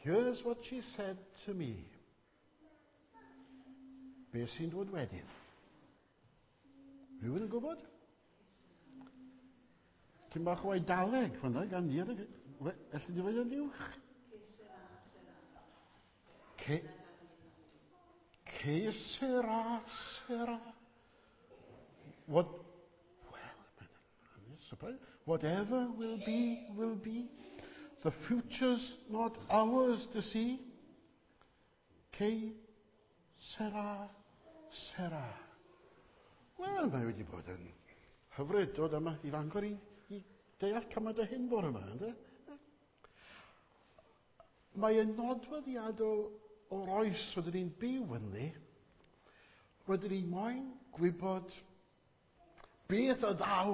Here's what she said to me. Be sy'n dod wedyn? Rhywun yn gwybod? Ti'n bach o Eidaleg fan'na gan Nia. Elli di ddweud yn uwch? Que, que sera, sera. What, well, I'm surprised. Whatever will be, will be. The future's not ours to see. Que sera, sera. Wel, mae wedi bod yn hyfryd dod yma i Fangor i, i deall cymaint o hyn bore yma, ynddo? Mae yn nodweddiadol o'r oes rydyn ni'n byw ynddi. Rydyn ni moyn gwybod beth y ddaw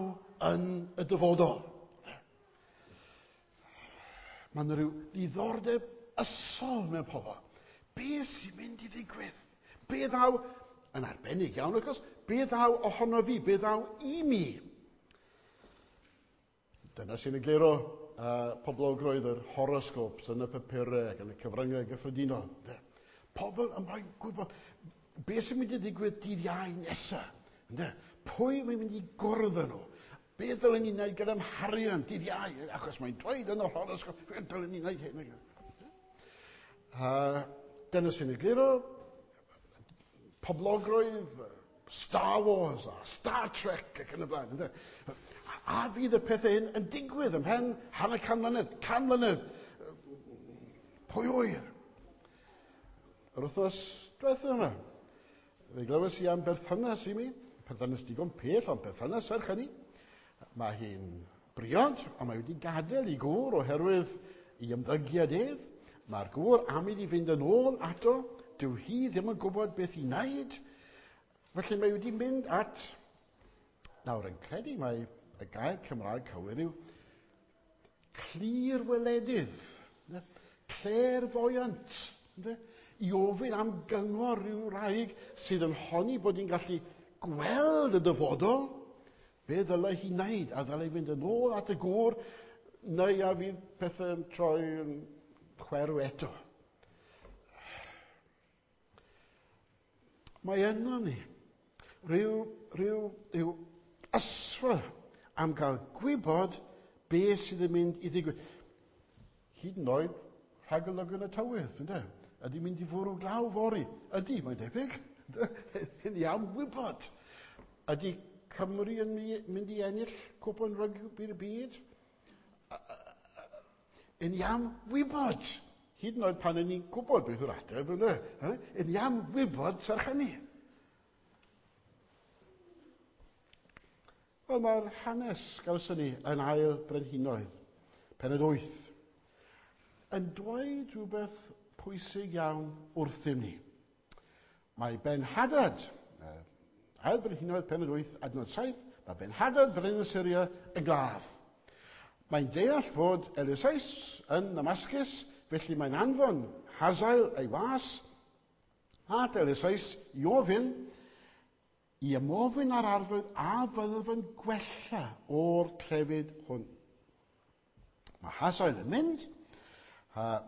yn y dyfodol. Mae yna rhyw ddiddordeb ysol mewn pobl. Be sy'n mynd i ddigwydd? Be ddaw, yn arbennig iawn, wrth gwrs, be ddaw ohono fi? Be ddaw i mi? Dyna sy'n egluro poblogrwydd yr horoscopes yn y papurau ac yn y cyfryngau gyffredinol. Pobl yn moyn gwybod beth sy'n mynd i ddigwydd dydd Iau nesaf. Pwy mae'n mynd i gwrdd â nhw? Beth ddylen ni wneud gyda'n harian dydd Iau? Achos mae'n dweud yn yr horoscope, beth dylen ni wneud hyn? Dyna sy'n egluro poblogrwydd Star Wars a Star Trek ac yn y blaen. Ynde? A fydd y pethau hyn yn digwydd ymhen hanner can mlynedd, can mlynedd, pwy ŵyr? Yr wythnos diwethaf yma, fe glywes i am berthynas i mi, perthynas digon pell, ond perthynas serch hynny. Mae hi'n briod, ond mae wedi gadael i gŵr oherwydd i ymddygiad ef. Mae'r gŵr am iddi fynd yn ôl ato, dyw hi ddim yn gwybod beth i wneud. Felly mae wedi mynd at, nawr yn credu mai y gair Cymraeg cywir yw clirweledydd, clairvoyant, i ofyn am gyngor rhyw wraig sydd yn honni bod hi'n gallu gweld y dyfodol, be ddylai hi wneud? A ddylai fynd yn ôl at y gŵr, neu a fydd pethau'n troi yn chwerw eto? Mae yno ni rhyw, rhyw, rhyw ysfa am gael gwybod beth sydd yn mynd i ddigwydd. Hyd yn oed rhagolygon y tywydd, ynde? Ydy mynd i fwrw glaw fory? Ydy, mae'n debyg. Yn iawn wybod. Ydy Cymru yn mynd i ennill cwpan rygbi'r byd? Yn iawn wybod. Hyd yn oed pan yn ni'n gwybod beth yw'r ateb, ynde? Yn iawn wybod serch hynny. Wel, mae'r hanes gawson ni yn ail brenhinoedd, pennod 8, yn dweud rhywbeth pwysig iawn wrthym ni. Mae Ben-Hadad, ail brenhinoedd pennod 8, adnod 7, mae Ben-Hadad, brenin y Syria, yn glaf. Mae'n deall fod Eliseus yn Damascus, felly mae'n anfon Hazael ei was at Eliseus i ofyn i ymofyn ar arglwydd a fyddaf yn gwella o'r clefyd hwn. Mae Hazael yn mynd,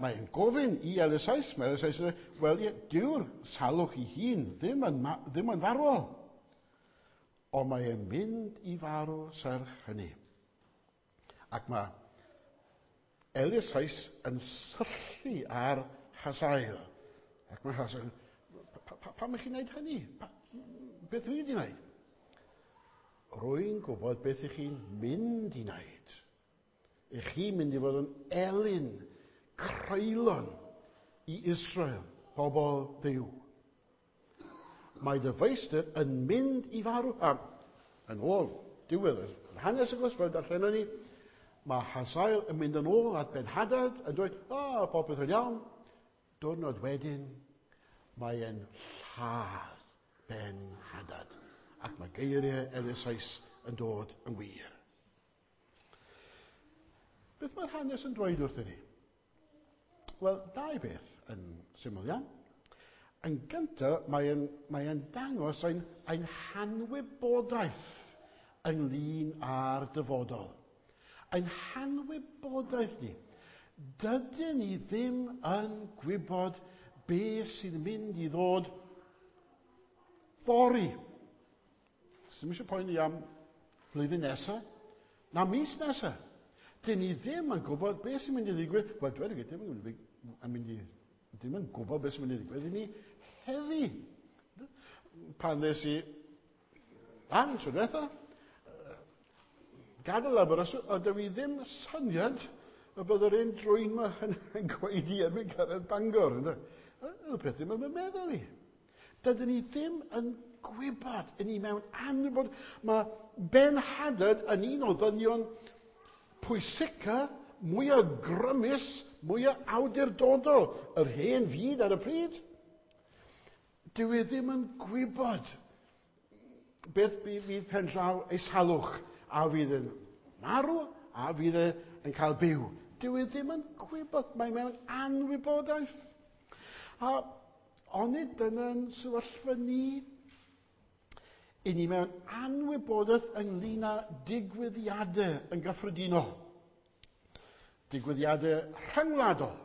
mae'n gofyn i Eliseus, mae Eliseus yn dweud, wel ie, dyw'r salwch i hun ddim yn, ddim yn farwol, ond mae'n mynd i farw serch hynny. Ac mae Eliseus yn syllu ar Hazael. Ac mae Hazael, pam ych chi'n gwneud hynny? Beth dwi wedi gwneud? Rwy'n gwybod beth ych chi'n mynd i wneud. Ych chi'n mynd i fod yn elyn creulon i Israel, pobl Dduw. Mae dy feistr yn mynd i farw. A yn ôl diwedd yr hanes, wrth gwrs, fel darllenon ni, mae Hazael yn mynd yn ôl at Ben-Hadad yn dweud, o, popeth yn iawn. Diwrnod wedyn, mae e'n lladd Ben-Hadad. Ac mae geiriau Eliseus yn dod yn wir. Beth mae'r hanes yn dweud wrthyn ni? Wel, dau beth yn syml iawn. Yn gyntaf, mae'n mae dangos ein, ein hanwybodaeth ynglyn â'r dyfodol. Ein hanwybodaeth ni. Dydyn ni ddim yn gwybod beth sydd yn mynd i ddod fory. Ddim eisiau poeni am flwyddyn nesaf, na mis nesaf. Dyn ni ddim yn gwybod beth sy'n mynd i ddigwydd. Wel, dweud y gwir, ddim yn mynd i, ddim yn gwybod beth sy'n mynd i ddigwydd i ni heddi. Pan ddes i lan tro diwetha, gadael Aberystwyth, a dwi ddim syniad y bydd yr un drwyn yma yn gwaedu erbyn cyrraedd Bangor. Ydy peth ddim yn meddwl i. Dydyn ni ddim yn gwybod, yn ni mewn anwybod. Mae Ben Hadad yn un o ddynion pwysica, mwyaf grymus, mwyaf awdurdodol yr hen fyd ar y pryd. Dyw e ddim yn gwybod beth fydd pen draw ei salwch, a fydd yn marw, a fydd e yn cael byw. Dyw e ddim yn gwybod, mae mewn anwybodaeth. A onid dyna'n sefyllfa ni? I ni mewn anwybodaeth ynglyn â digwyddiadau yn gyffredinol. Digwyddiadau rhyngwladol.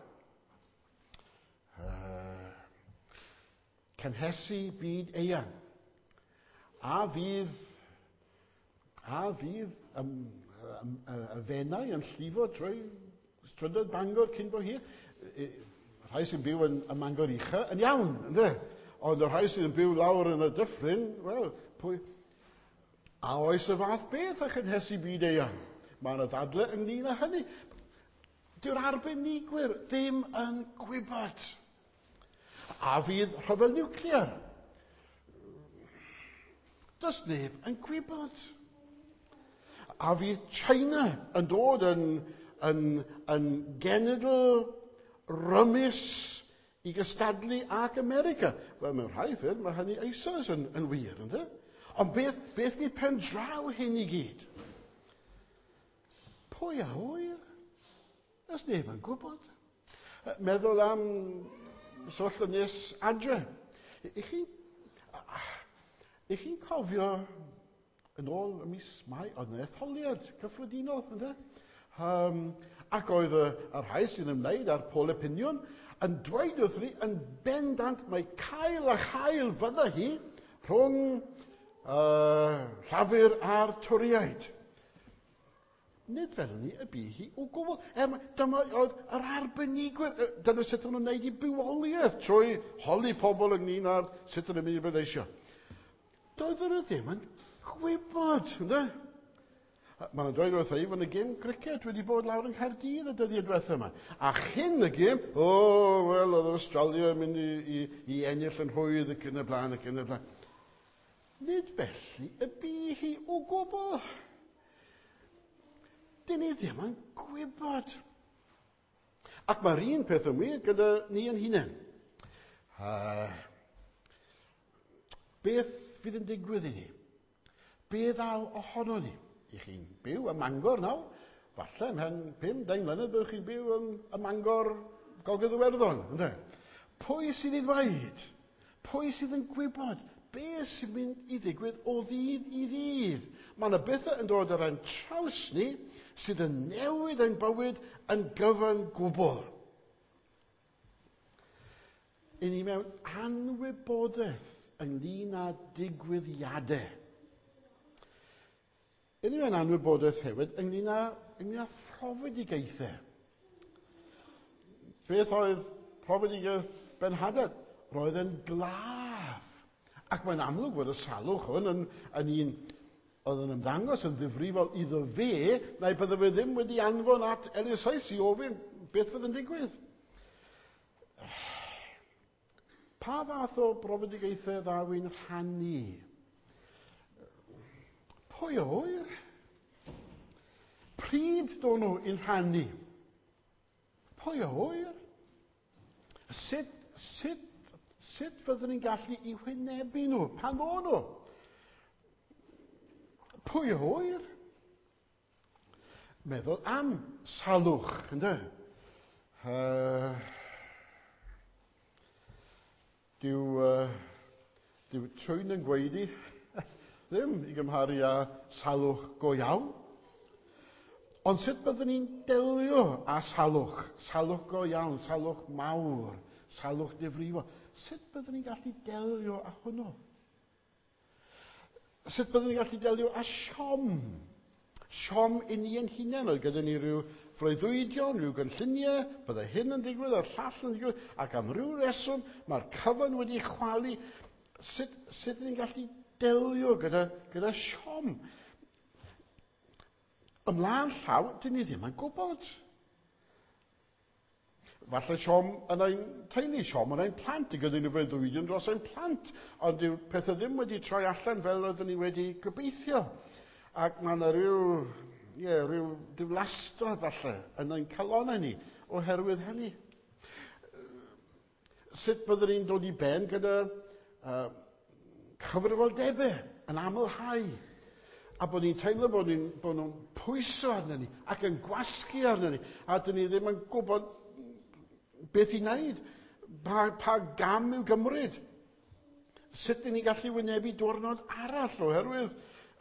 Cynhesu byd eang. A fydd y Fenai yn llifo trwy strydoedd Bangor cyn bo hir? Rhai sy'n byw yn y Mangor Ucha yn iawn, ynddo? Ond y rhai sy'n byw lawr yn y dyffryn, wel, pwy... A oes y fath beth a chynhesu byd eang? Mae yna ddadle ynglyn â hynny. Dyw'r arbenigwyr ddim yn gwybod. A fydd rhyfel niwclear? Does neb yn gwybod. A fydd China yn dod yn genedl rymus i gystadlu ac America? Wel, mewn rhai ffyrdd, mae hynny eisoes yn wir, ynddo? Ond beth fydd pen draw hyn i gyd? Pwy a ŵyr? Does neb yn gwybod. Meddwl am sefyllfa nes adre. I chi'n cofio yn ôl y mis Mai, oedd yna etholiad cyffredinol, ynddo? Ac oedd y rhai sy'n ymwneud â'r poll opinion yn dweud wrth ni yn bendant mai cael a chael fydda hi rhwng Llafur a'r Torïaid. Nid fel ni y bu hi o gwbl. Dyma oedd yr arbenigwyr. Dyna sut o'n nhw'n gwneud i bywoliaeth trwy holi pobl ynglyn â'r sut o'n nhw'n mynd i bleidleisio. Doedden nhw ddim yn gwybod, ynddo? Maen nhw'n dweud wrtha i fod y gêm criced wedi bod lawr yng Nghaerdydd y dyddiau diwetha yma. A chyn y gêm, wel, oedd yr Australia yn mynd i ennill yn rhwydd ac yn y blaen ac yn y blaen. Nid felly y bu hi o gwbl. Dyn ni ddim yn gwybod. Ac mae'r un peth yn wir gyda ni yn hunain. Beth fydd yn digwydd i ni? Be ddaw ohono ni? I chi'n byw ym Mangor nawr, falle ymhen 50 mlynedd byddwch chi'n byw ym Mangor Gogledd Iwerddon, ynde? Pwy sydd i ddweud? Pwy sydd yn gwybod beth sy'n mynd i ddigwydd o ddydd i ddydd? Mae yna bethau yn dod ar ein traws ni sydd yn newid ein bywyd yn gyfan gwbl. I ni mewn anwybodaeth ynglyn â digwyddiadau. I ni mewn anwybodaeth hefyd ynglyn â phrofedigaethau. Beth oedd profedigaeth Ben Hadad? Roedd yn glaf. Ac mae'n amlwg fod y salwch hwn yn un oedd yn ymddangos yn ddifrifol iddo fe, neu bydde fe ddim wedi anfon at Eliseus i ofyn beth fydd yn digwydd. Pa fath o brofedigaethau ddaw i'n rhannu? Pwy a ŵyr? Pryd do'n nhw i'n rhannu? Pwy a ŵyr? Sut fyddwn ni'n gallu i wynebu nhw? Pan ddo'n nhw? Pwy a ŵyr? Meddwl am salwch, ynddo? Dyw trwyn yn gwaedu ddim i gymharu â salwch go iawn. Ond sut byddwn ni'n delio â salwch? Salwch go iawn, salwch mawr, salwch difrifol. Sut byddwn ni'n gallu delio â hwnnw? Sut byddwn ni'n gallu delio â siom? Siom i ni yn hunain. Oedd gyda ni rhyw freuddwydion, rhyw gynlluniau, byddai hyn yn digwydd a'r llall yn digwydd, ac am ryw reswm mae'r cyfan wedi chwalu. Sut ni'n gallu delio gyda siom? Ymlaen llaw, dyn ni ddim yn gwybod. Falle siom yn ein teulu, siom yn ein plant, gyda ni freuddwydion dros ein plant, ond dyw pethau ddim wedi troi allan fel oeddwn ni wedi gobeithio. Ac mae yna rhyw diflastod falle yn ein calonnau ni oherwydd hynny. Sut byddwn ni'n dod i ben gyda cyfrifoldebau yn amlhau, a bod ni'n teimlo bod nhw'n pwyso arno ni ac yn gwasgu arno ni, a dyn ni ddim yn gwybod beth i wneud, pa gam i'w gymryd. Sut dyn ni'n gallu wynebu diwrnod arall oherwydd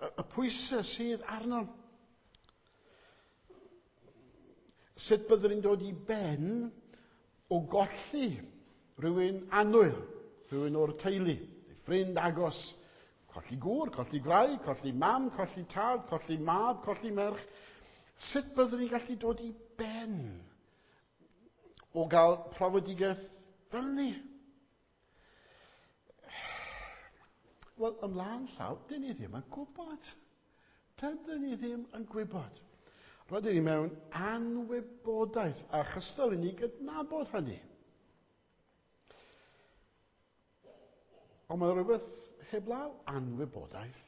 y pwysau sydd arno. Sut byddwn ni'n dod i ben o golli rhywun annwyl, rhywun o'r teulu, ffrind agos, colli gŵr, colli gwraig, colli mam, colli tad, colli mab, colli merch. Sut byddwn ni'n gallu dod i ben o gael profedigaeth fel ni? Wel, ymlaen llaw, dyn ni ddim yn gwybod. Dydyn ni ddim yn gwybod. Rydyn ni mewn anwybodaeth a chystal i ni gydnabod hynny. Ond mae rhywbeth heblaw anwybodaeth.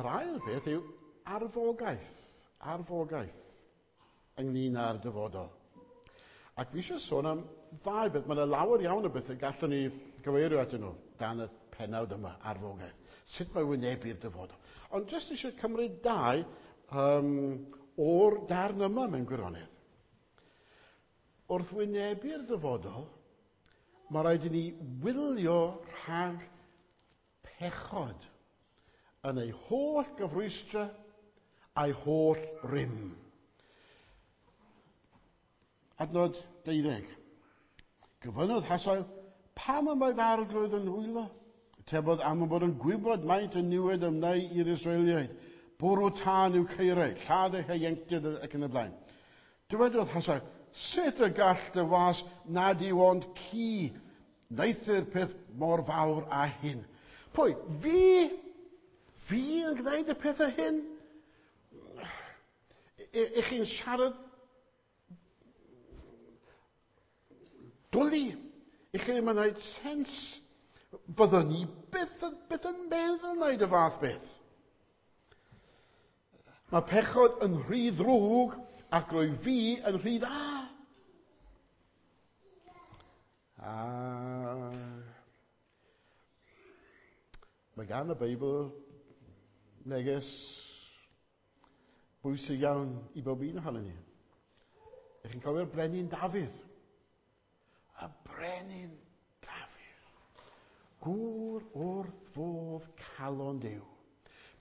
Yr ail beth yw arfogaeth. Arfogaeth ynglyn â'r dyfodol. Ac fi eisiau sôn am ddau beth. Mae yna lawer iawn o bethau gallwn ni gyfeirio atyn nhw dan y pennawd yma, arfogaeth. Sut mae wynebu'r dyfodol. Ond jyst eisiau cymryd dau o'r darn yma mewn gwirionedd. Wrth wynebu'r dyfodol, mae rhaid i ni wylio rhag pechod yn ei holl gyfrwystra a'i holl rym. Adnod 12. Gofynnodd Hasael, pam y mae fy arglwydd yn wylo? Tebodd am y bod yn gwybod maint y niwed ymwneu i'r Israeliaid. Bwrw tân i'w caerau, lladd eu hieuenctid ac yn y blaen. Dywedodd Hasael, sut y gall dy was nad yw ond ci wneuthur peth mor fawr â hyn? Pwy? Fi? Fi yn gwneud y pethau hyn? Ych chi'n siarad dwli? Ych chi ddim yn gwneud sens? Byddwn ni byth yn meddwl wneud y fath beth. Mae pechod yn rhy ddrwg ac rwy fi yn rhy dda. A mae gan y Beibl neges bwysig iawn i bob un ohonon ni. Ych chi'n cofio'r Brenin Dafydd? Y Brenin Dafydd. Gŵr wrth fodd calon Duw.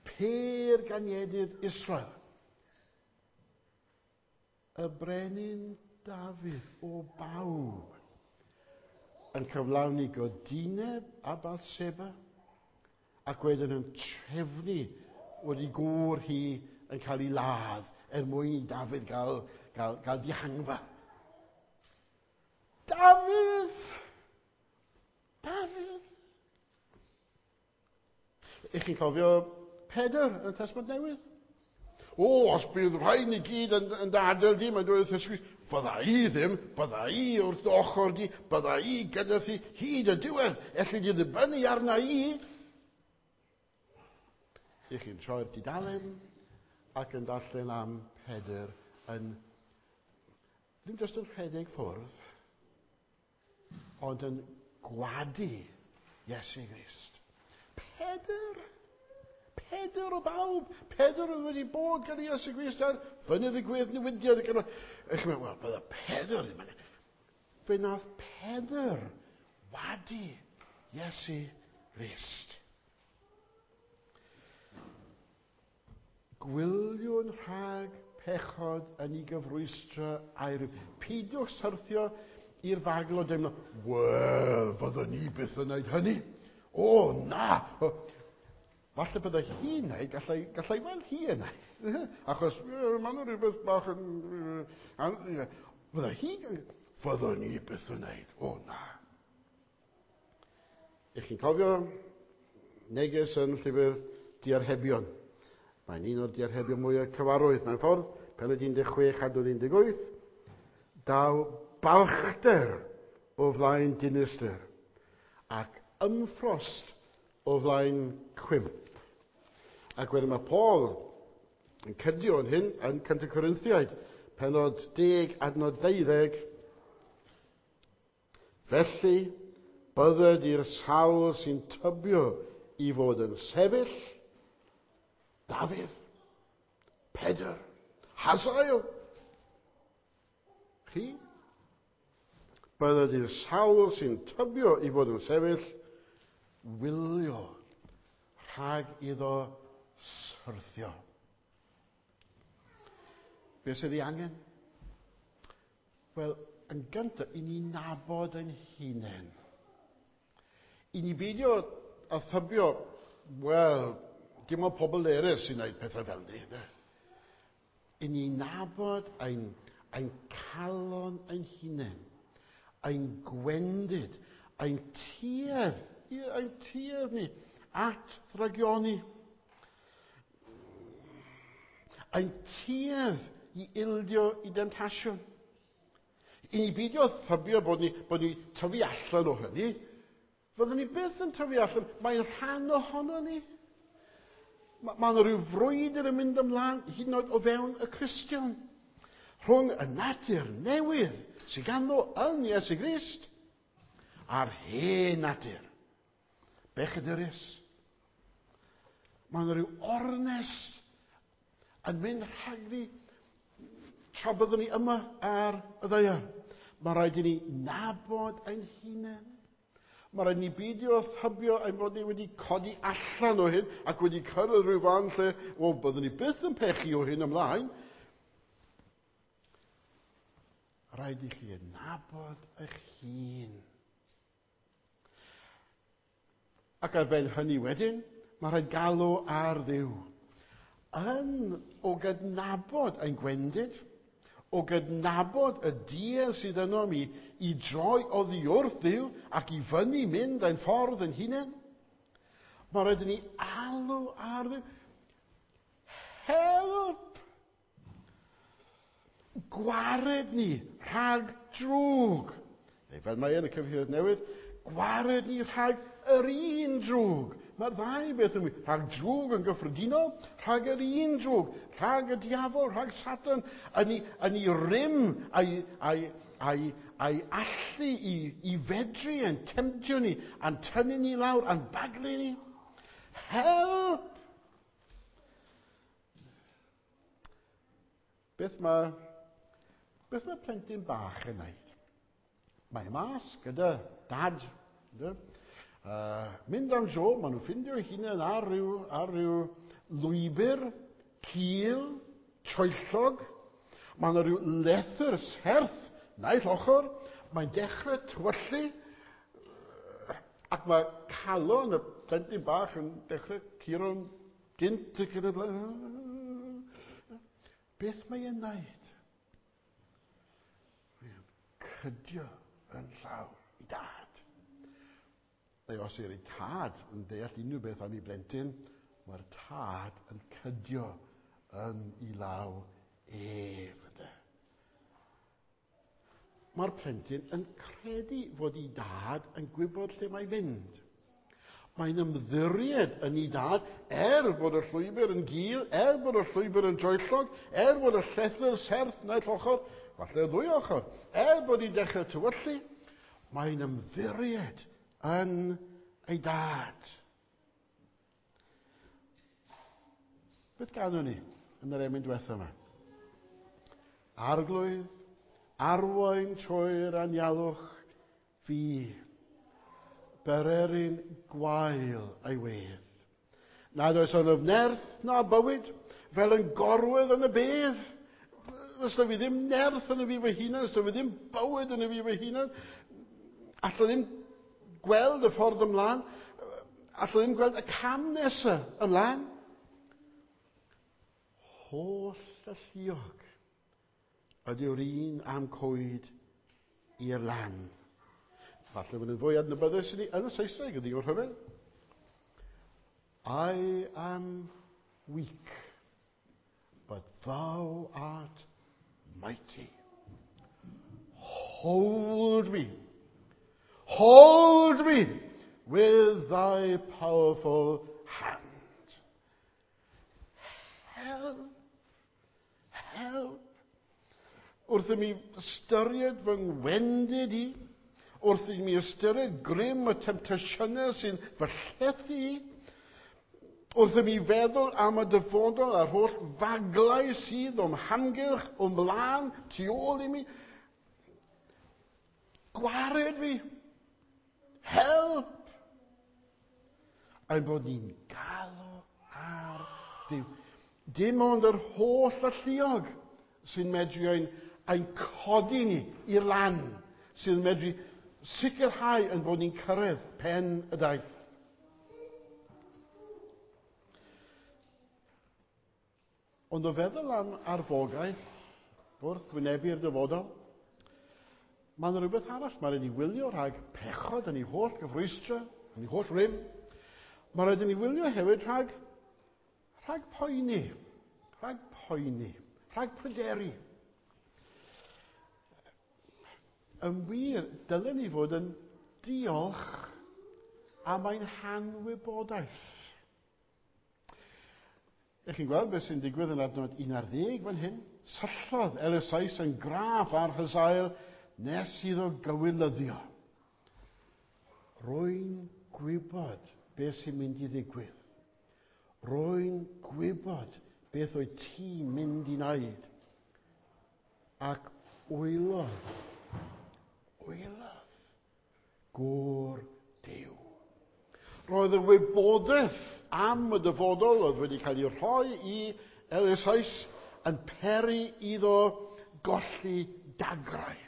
Pêr ganiedydd Israel. Y Brenin Dafydd o bawb yn cyflawni godineb a Bathseba ac wedyn yn trefnu wedi gŵr hi yn cael ei ladd er mwyn i Dafydd gael dihangfa. Dafydd! Dafydd! Ych chi'n cofio Pedr yn y Testament Newydd? O, os bydd rhaid ni gyd yn dy adael di, mae'n dweud wrth Iesu Grist, fydda i ddim, bydda i wrth dy ochr di, bydda i gyda thi hyd y diwedd, elli di ddibynnu arna i. Ych chi'n troi'r dudalen ac yn darllen am Pedr yn ddim jyst yn rhedeg ffwrdd, ond yn gwadu Iesu Grist. Pedr! Pedr o bawb! Pedr oedd wedi bod gyda Iesu Grist ar fynydd y gwedd newidiad. Ych chi'n meddwl, wel, bydde Pedr ddim yn... Fe nath Pedr wadu Iesu Grist. Gwyliwn rhag pechod yn ei gyfrwystra a'i rhyw. Peidiwch syrthio i'r fagl o deimlo, wel, fyddwn ni byth yn gwneud hynny. O, na! Falle bydde hi'n neud, gallai, gallai weld hi yn neud. Achos maen nhw rhywbeth bach yn... Fydde hi... Fyddwn ni byth yn neud. O, na. Ych chi'n cofio neges yn llyfr Diarhebion. Mae'n un o'r diarhebion mwyaf cyfarwydd mewn ffordd, penod 16 adnod 18. Daw balchder o flaen dinistr ac ymffrost o flaen cwymp. Ac wedyn mae Paul yn cydio yn hyn yn 1 Corinthiaid, penod 10 adnod 12. Felly, bydded i'r sawl sy'n tybio i fod yn sefyll, Dafydd, Pedr, Hazael. Chi? Bydded i'r sawl sy'n tybio i fod yn sefyll, wylio rhag iddo syrthio. Be sydd ei angen? Wel, yn gyntaf, i ni nabod ein hunain. I ni beidio a thybio, wel, dim ond pobl eraill sy'n gwneud pethau fel ni. Ne? I ni nabod ein, ein calon ein hunain, ein gwendid, ein tuedd, ein tuedd ni at ddragioni. Ein tuedd i ildio i demtasiwn. I ni beidio thybio bod ni, bod ni tyfu allan o hynny. Fyddwn ni byth yn tyfu allan. Mae'n rhan ohono ni. Mae ma yna rhyw frwydr yn mynd ymlaen hyd yn oed o fewn y Cristion. Rhwng y natur newydd sydd ganddo yn Iesu Grist a'r hen natur. Bechadurus. Mae yna rhyw ornest yn mynd rhagddi tra byddwn ni yma ar y ddaear. Mae rhaid i ni nabod ein hunain. Mae rhaid i ni beidio â thybio ein bod ni wedi codi allan o hyn ac wedi cyrraedd rhyw fan lle, wel, byddwn ni byth yn pechu o hyn ymlaen. Rhaid i chi nabod eich hun. Ac ar ben hynny wedyn, mae rhaid galw ar Dduw. Yn o gydnabod ein gwendid, o gydnabod y duedd sydd yno mi i droi oddi wrth Dduw ac i fyny mynd ein ffordd yn hunain, mae rhaid i ni alw ar Dduw. Help! Gwared ni rhag drwg. Neu fel mae yn y cyfieithiad newydd, gwared ni rhag yr un drwg. Mae'r ddau beth yn wir. Rhag drwg yn gyffredinol, rhag yr un drwg, rhag y diafol, rhag Satan, yn ei, yn ei rym a'i, a'i, a'i, a'i allu i, i fedru yn temtio ni, a'n tynnu ni lawr, a'n baglu ni. Help! Beth mae, beth mae plentyn bach yn wneud? Mae mas gyda dad. Ynddo? Mynd am dro, maen nhw'n ffindio eu hunain ar ryw, ar ryw lwybr cul, troellog. Mae yna rhyw lethr serth naill ochr. Mae'n dechrau tywyllu. Ac mae calon y plentyn bach yn dechrau curo'n gynt ac yn y blaen. Beth mae e'n wneud? Mae'n cydio yn llaw i dad. Neu os yw'r tad yn deall unrhyw beth am ei blentyn, mae'r tad yn cydio yn ei law ef. Ynde? Mae'r plentyn yn credu fod ei dad yn gwybod lle mae'n mynd. Mae'n ymddiried yn ei dad, er bod y llwybr yn gul, er bod y llwybr yn droellog, er bod y llethr serth naill ochr, falle y ddwy ochr, er bod hi'n dechrau tywyllu, mae'n ymddiried yn ei dad. Beth ganwn ni yn yr emyn diwethaf yma? Arglwydd, arwain trwy'r anialwch fi, bererin gwael ei wedd. Nad oes ynof nerth na bywyd, fel yn gorwedd yn y bedd. Os da fi ddim nerth yn y fi fy hunan, os da fi ddim bywyd yn y fi fy hunan, allai ddim gweld y ffordd ymlaen, allai ddim gweld y cam nesaf ymlaen. Holl alluog ydyw'r un am coed i'r lan. Falle bod yn fwy adnabyddus i ni yn y Saesneg, ydy o'r rhyfedd. I am weak, but thou art mighty. Hold me. Hold me with thy powerful hand. Help. Help. Wrth i mi ystyried fy ngwendid i, wrth i mi ystyried grym y temtasiynau sy'n fy llethu i, wrth i mi feddwl am y dyfodol a'r holl faglau sydd o'm hamgylch, o'm mlaen, tu ôl i mi, gwared fi. Help! Ein bod ni'n galw ar Dduw. Dim ond yr holl alluog sy'n medru ein codi ni i'r lan, sy'n medru sicrhau ein bod ni'n cyrraedd pen y daith. Ond o feddwl am arfogaeth wrth wynebu'r dyfodol, mae yna rhywbeth arall. Mae rhaid i wylio rhag pechod yn ei holl gyfrwystra, yn ei holl rym. Mae rhaid i ni wylio hefyd rhag poeni, rhag pryderu. Yn wir, dylen ni fod yn diolch am ein hanwybodaeth. Ych chi'n gweld beth sy'n digwydd yn adnod 11 fan hyn? Syllodd Eliseus yn graff ar Hazael nes iddo gywilyddio. Rwy'n gwybod beth sy'n mynd i ddigwydd. Rwy'n gwybod beth oedd ti'n mynd i wneud. Ac wylodd gŵr Duw. Roedd y wybodaeth am y dyfodol oedd wedi cael ei rhoi i Eliseus yn peri iddo golli dagrau.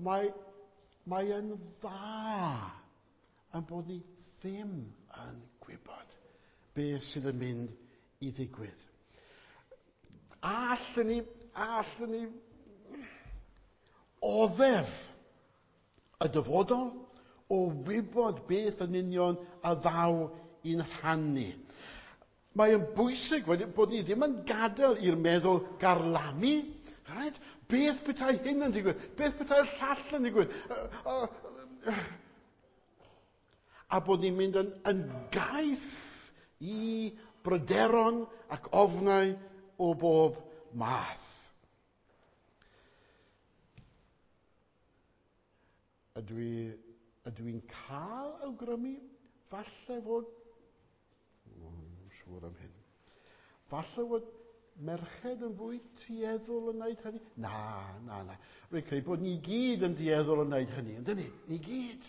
Mae yn dda yn bod ni ddim yn gwybod beth sydd yn mynd i ddigwydd. Allwn ni oddef y dyfodol o wybod beth yn union a ddaw i'n rhan ni. Mae yn bwysig bod ni ddim yn gadael i'r meddwl garlamu. Right? Beth petai hyn yn digwydd? Beth petai'r llall yn digwydd? A bod ni'n mynd yn gaeth i bryderon ac ofnau o bob math. Ydw i'n cael awgrymu? Falle fod... Siŵr am hyn. Falle fod merched yn fwy tueddol yn wneud hynny? Na. Rwy'n credu bod ni gyd yn dueddol yn wneud hynny, yndyn ni? Ni gyd.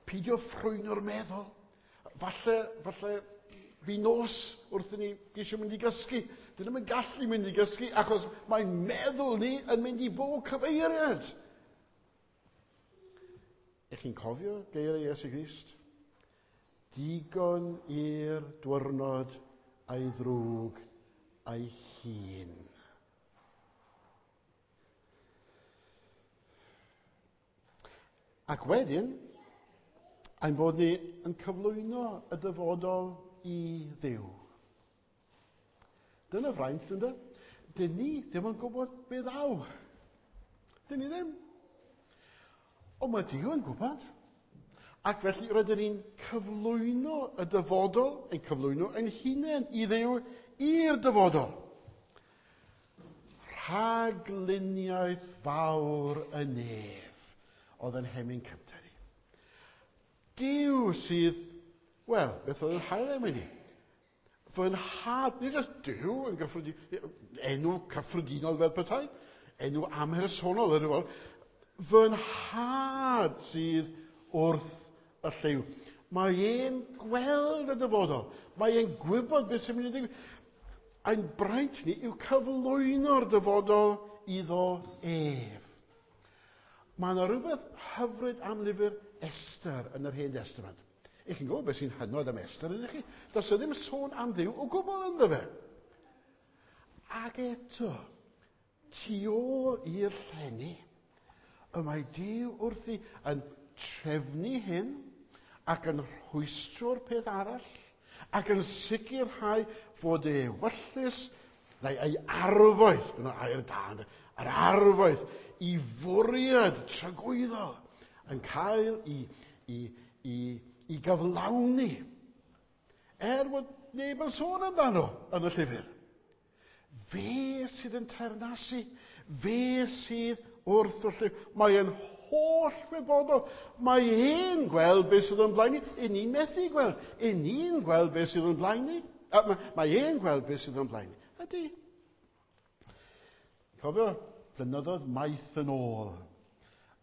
Peidio ffrwyno'r meddwl. Falle fi nos wrth i ni geisio mynd i gysgu. Dyn nhw'n gallu mynd i gysgu achos mae'n meddwl ni yn mynd i bob cyfeiriad. Ych chi'n cofio geiriau Iesu Grist? Digon i'r dwyrnod a'i ddrwg a'i hun. Ac wedyn, ein bod ni yn cyflwyno y dyfodol i Dduw. Dyna fraint, ynddo? Dyn ni ddim yn gwybod be ddaw. Dyn ni ddim. Ond mae Duw yn gwybod. Ac felly rydyn ni'n cyflwyno y dyfodol, ein cyflwyno ein hunain i Dduw i'r dyfodol. Rhagluniaeth fawr y nef oedd yn hemyn cyntaf ni. Duw sydd, wel, beth oedd yn hael am ni? Fy nhad, nid jyst Duw yn gyffredinol, enw cyffredinol fel petai, enw amhersonol yr yw. Fy nhad sydd wrth y llyw. Mae e'n gweld y dyfodol. Mae e'n gwybod beth sy'n mynd i ddigwydd. Ein braint ni yw cyflwyno'r dyfodol iddo ef. Mae yna rhywbeth hyfryd am lyfr Esther yn yr Hen Testament. I chi'n gwybod beth sy'n hynod am Esther, ydych chi? Does e ddim sôn am Dduw o gwbl ynddo fe. Ac eto, tu ôl i'r llenni, y mae Duw wrthi yn trefnu hyn ac yn rhwystro'r peth arall ac yn sicrhau fod ei ewyllys neu ei arfaeth, dyna air da, yr arfaeth i fwriad tragwyddol yn cael i gyflawni. Er bod neb yn sôn amdano yn y llyfr. Fe sydd yn teyrnasu, fe sydd wrth y llyw. Mae e'n holl wybodol. Mae e'n gweld beth sydd yn blaen ni. I ni'n methu gweld. I ni'n gweld beth sydd yn blaen ni. Mae e'n gweld beth sydd yn blaen ni. Ydy. Cofio, blynyddoedd maith yn ôl.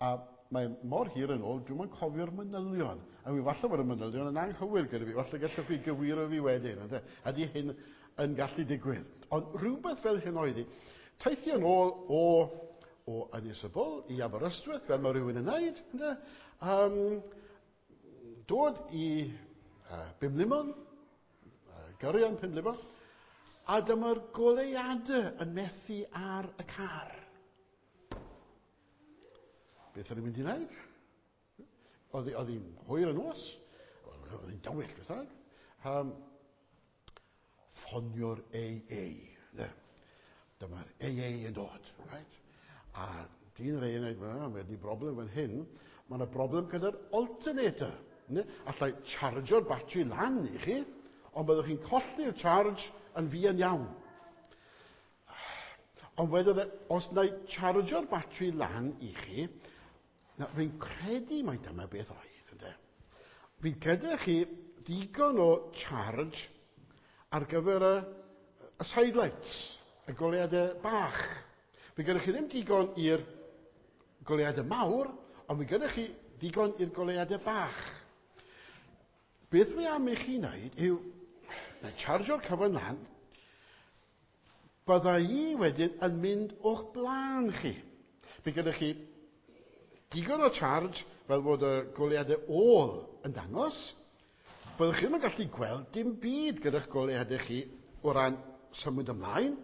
A mae mor hir yn ôl, dwi'm yn cofio'r manylion. A mi falle bod y manylion yn anghywir gyda fi. Falle gallwch chi gywiro fi wedyn. Ynde? Ydy hyn yn gallu digwydd. Ond rhywbeth fel hyn oedd hi. Teithio yn ôl o Ynys y Bwl i Aberystwyth, fel mae rhywun yn wneud. Ynde? Dod i Bumlumon, gyrion Pumlumon, a dyma'r goleuadau yn methu ar y car. Beth o'n i'n mynd i wneud? Oedd hi'n hwyr y nos, oedd hi'n dywyll, beth bynnag. Ffonio'r AA. Ne? Dyma'r AA yn dod. Right? A dyn yr AA yn dweud, mae wedi broblem fan hyn. Mae yna broblem gyda'r alternator. Ne? Allai chargio'r batri lan i chi, ond byddwch chi'n colli'r charge yn fuan iawn. Ond wedodd e, os na i chargio'r batri lan i chi, na, rwy'n credu mai dyma beth oedd, ynde. Fydd gyda chi ddigon o charge ar gyfer y sidelights, y goleuadau bach. Fydd gyda chi ddim digon i'r goleuadau mawr, ond fydd gyda chi ddigon i'r goleuadau bach. Beth mae am i chi wneud yw, na i chargio'r cyfan lan, bydda i wedyn yn mynd o'ch blaen chi. Bydd gyda chi digon o charge fel bod y goleuadau ôl yn dangos. Byddwch chi ddim yn gallu gweld dim byd gyda'ch goleuadau chi o ran symud ymlaen,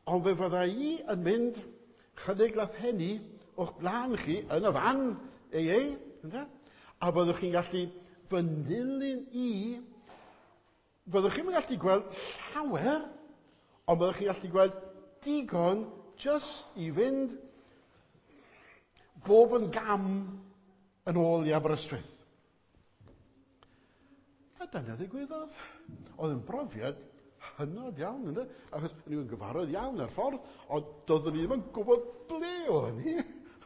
ond fe fydda i yn mynd chydig lathenni o'ch blaen chi yn y fan AA, ynde? A byddwch chi'n gallu fy nilyn i. Byddwch chi'n gallu gweld llawer, ond byddwch chi'n gallu gweld digon jyst i fynd bob yn gam yn ôl i Aberystwyth. A dyna ddigwyddodd. Oedd yn brofiad hynod iawn, ynde? Achos o'n i'n gyfarwydd iawn ar ffordd, ond doeddwn i ddim yn gwybod ble o'n i.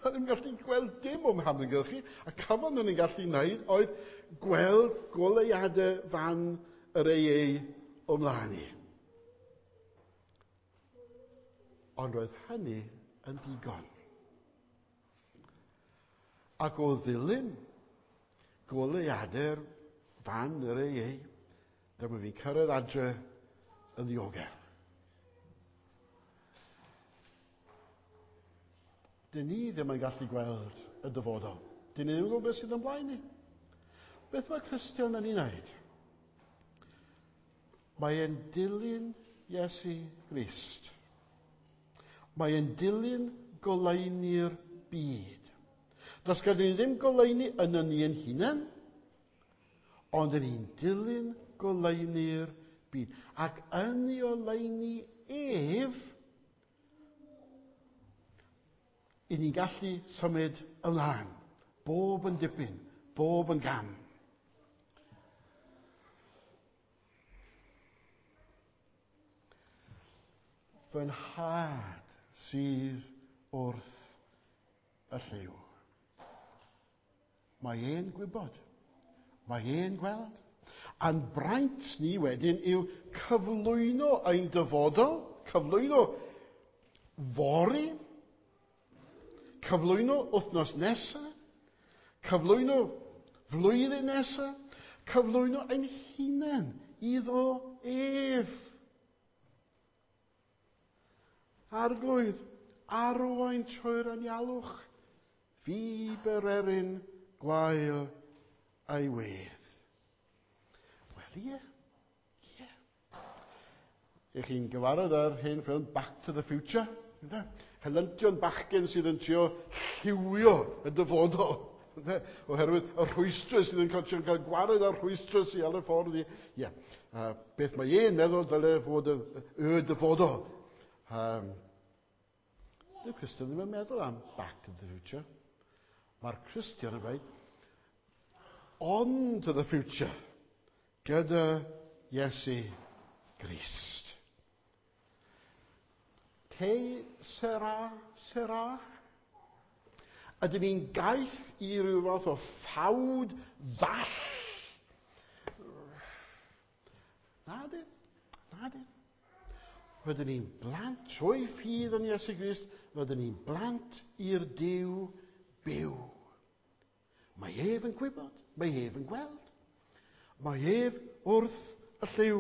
O'n i'n gallu gweld dim o'm hamgylchu, a cyfan o'n i'n gallu wneud oedd gweld goleuadau fan yr AA o mlaen i. Ond roedd hynny yn ddigon. Ac o ddilyn goleuadau'r fan yr AA, dyma fi'n cyrraedd adre yn ddiogel. Dyn ni ddim yn gallu gweld y dyfodol. Dyn ni ddim yn gwybod beth sydd yn blaen ni. Beth mae Cristion yn ei wneud? Mae e'n dilyn Iesu Grist. Mae e'n dilyn goleuni'r byd. Does gyda ni ddim goleuni yn ni ein hunain, ond yn ni'n dilyn goleuni'r byd. Ac yn ei oleuni ef, i ni'n gallu symud ymlaen. Bob yn dipyn, bob yn gam. Fy nhad sydd wrth y llyw. Mae e'n gwybod. Mae e'n gweld. A'n braint ni wedyn yw cyflwyno ein dyfodol, cyflwyno fory, cyflwyno wythnos nesaf, cyflwyno Flwyddyn nesaf, cyflwyno ein hunain iddo ef. Arglwydd, arwain trwy'r anialwch, fi bererin gwael a'i wedd. Wel, ie. Ie. Ych chi'n gyfarwydd â'r hen ffilm Back to the Future? Ynde? Helyntion bachgen sydd yn trio lliwio y dyfodol. Ynde? Oherwydd y rhwystrau sydd yn cael, cael gwared ar rhwystrau sydd ar y ffordd i... Ie. Beth mae e'n meddwl dyle fod y dyfodol. Dyw Cristion ddim yn meddwl am Back to the Future. Mae'r Cristion yn dweud, on to the future, gyda Iesu Grist. Que sera, sera? Ydyn ni'n gaeth i ryw fath o ffawd ddall? Na di, na di. Rydyn ni'n blant, trwy ffydd yn Iesu Grist, rydyn ni'n blant i'r Duw byw. Mae ef yn gwybod, mae ef yn gweld. Mae ef wrth y llyw.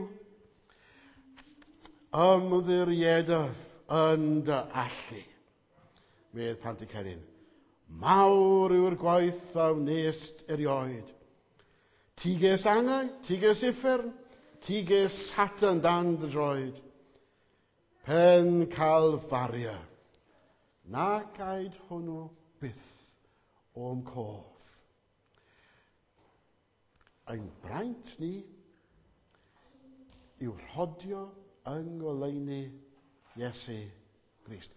Ymddiriedaf yn dy allu, medd Pantycelyn. Mawr yw'r gwaith a wnest erioed. Ti ges angau, ti ges uffern, ti ges Satan dan dy droed. Pen Calfaria, nac aed hwnnw byth o'm cof. Ein braint ni yw rhodio yng ngoleuni Iesu Grist.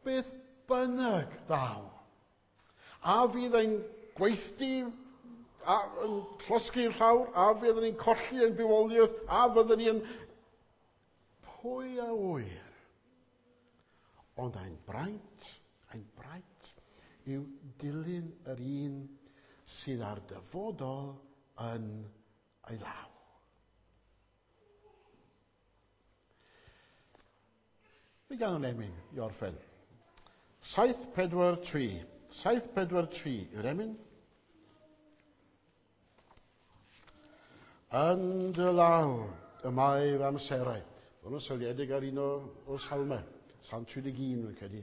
Beth bynnag ddaw, a fydd ein gweithdy yn llosgi'r llawr, a fydd ni'n colli ein bywoliaeth, a fyddwn ni'n... Pwy a ŵyr? Ond ein braint yw dilyn yr un sydd ar dyfodol yn ei law. Mi ganwn emyn i orffen. 7, 4, 3. 7, 4, 3 yw'r emyn. Yn dy law y mae fy amserau. Mae hwn yn seiliedig ar un o'r salmau. Salm 31, rwy'n credu.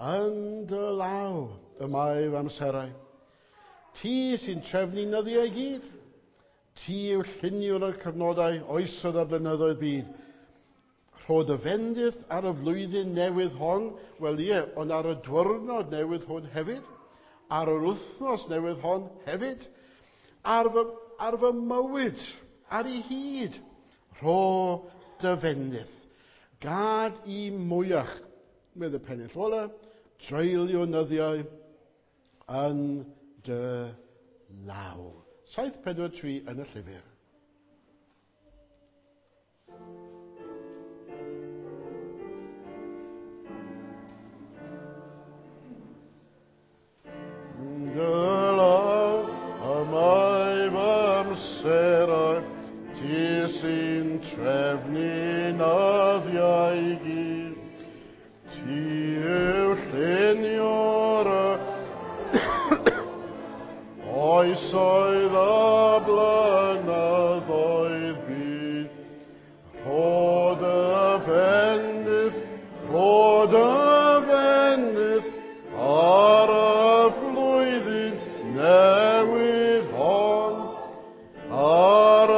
Yn dy law y mae fy amserau. Ti sy'n trefnu nyddiau i gyd. Ti yw lluniwr o'r cyfnodau oesoedd a blynyddoedd byd. Rho dy fendith ar y flwyddyn newydd hon, wel ie, ond ar y diwrnod newydd hwn hefyd, ar yr wythnos newydd hon hefyd, ar fy mywyd, ar ei hyd. Rho dy fendith. Gad i mwyach, medd y pennill ola, dreulio nyddiau yn dy law. 7, 4, 3 yn y llyfr. Dy law y mae fy amserau, ti sy'n trefnu nyddiau i gyd. Ti yw lluniwr y oesoedd a blynyddoedd byd. Rho dy fendith, rho dy fendith ar y flwyddyn newydd hon, ar y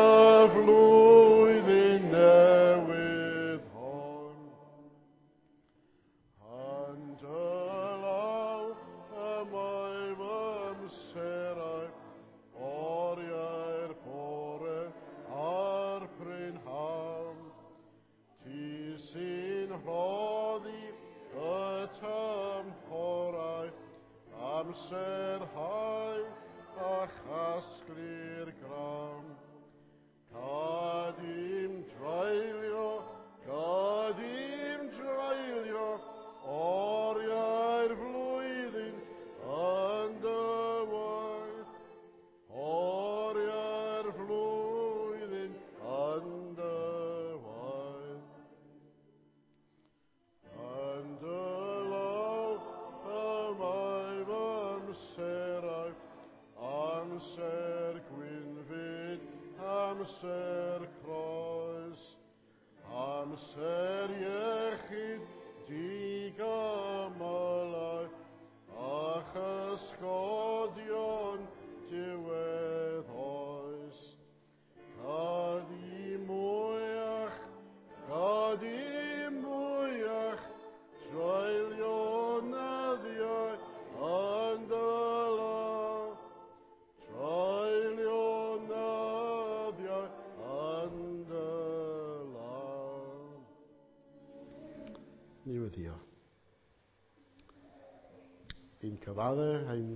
flwyddyn newydd hon. Yn dy law y mae fy amserau, oriau'r bore a'r prynhawn. Ti sy'n rhoddi y tymhorau, amser hau a chasglu'r grawn. Gad i'm dreulio, gad i'm dreulio, oriau'r flwyddyn yn dy waith. Oriau'r flwyddyn yn dy waith. Yn dy law y mae fy amserau, amser amser croes, amser iechyd digamylau, a chysgodion diwedd oes. Gad i mwyach, gad i mwyach, treulio nyddiau yn dy law. Treulio nyddiau yn dy law. Ni weddio. Ein cyfadde, ein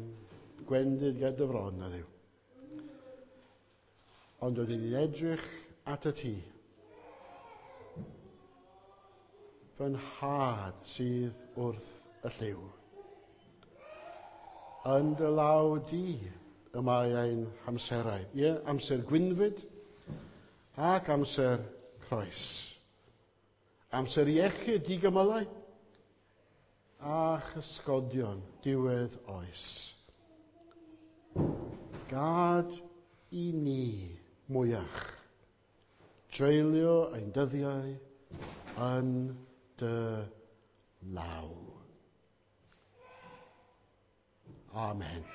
gwendid ger dy fron, na Dduw. Ond oedden ni'n edrych at y ti. Fy nhad sydd wrth y llyw. Yn dy law di y mae ein hamserau. Ie, amser gwynfyd ac amser croes. Amser iechyd digymylau a chysgodion diwedd oes. Gad i ni mwyach dreulio ein dyddiau yn dy law. Amen.